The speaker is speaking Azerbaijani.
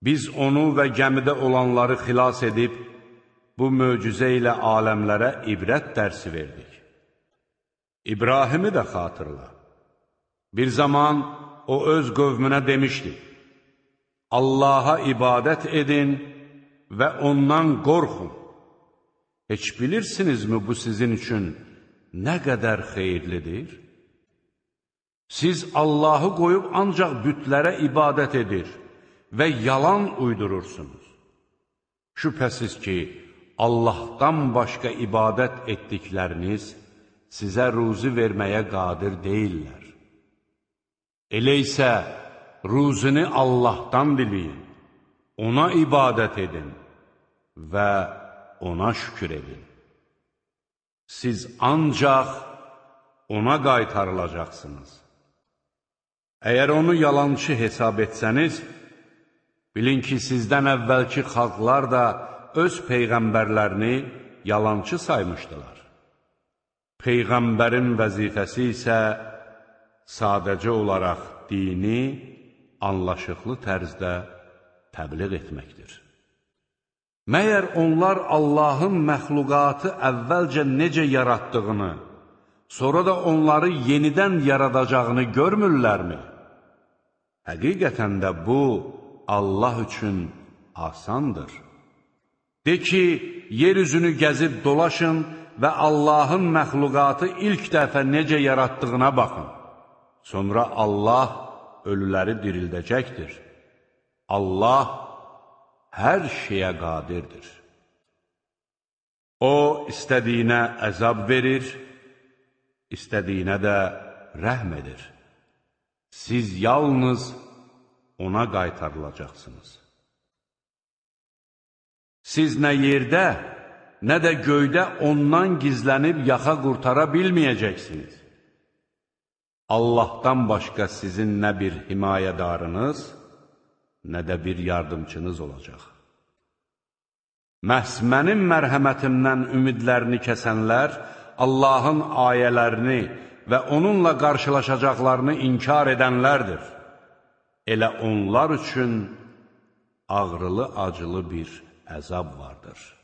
Biz onu və gəmidə olanları xilas edib, bu möcüzə ilə aləmlərə ibrət dərsi verdik. İbrahimi də xatırla. Bir zaman o öz qövmünə demişdi, Allaha ibadət edin və ondan qorxun. Heç bilirsinizmi bu sizin üçün nə qədər xeyirlidir? Siz Allahı qoyub ancaq bütlərə ibadət edir və yalan uydurursunuz. Şübhəsiz ki, Allahdan başqa ibadət etdikləriniz sizə ruzi verməyə qadir deyirlər. Elə isə ruzini Allahdan diləyin, ona ibadət edin və ona şükür edin. Siz ancaq ona qaytarılacaqsınız. Əgər onu yalançı hesab etsəniz, bilin ki, sizdən əvvəlki xalqlar da öz peyğəmbərlərini yalançı saymışdılar. Peyğəmbərin vəzifəsi isə sadəcə olaraq dini anlaşıqlı tərzdə təbliğ etməkdir. Məyər onlar Allahın məxluqatı əvvəlcə necə yaratdığını, sonra da onları yenidən yaradacağını görmürlərmi? Həqiqətən də bu, Allah üçün asandır. De ki, yeryüzünü gəzib dolaşın və Allahın məxluqatı ilk dəfə necə yaratdığına baxın. Sonra Allah ölüləri dirildəcəkdir. Allah hər şeyə qadirdir. O, istədiyinə əzab verir, istədiyinə də rəhm edir. Siz yalnız ona qaytarılacaqsınız. Siz nə yerdə, nə də göydə ondan gizlənib yaxa qurtara bilməyəcəksiniz. Allahdan başqa sizin nə bir himayədarınız, nə də bir yardımçınız olacaq. Məhz mənim mərhəmətimdən ümidlərini kəsənlər, Allahın ayələrini və onunla qarşılaşacaqlarını inkar edənlərdir. Elə onlar üçün ağrılı-acılı bir əzab vardır.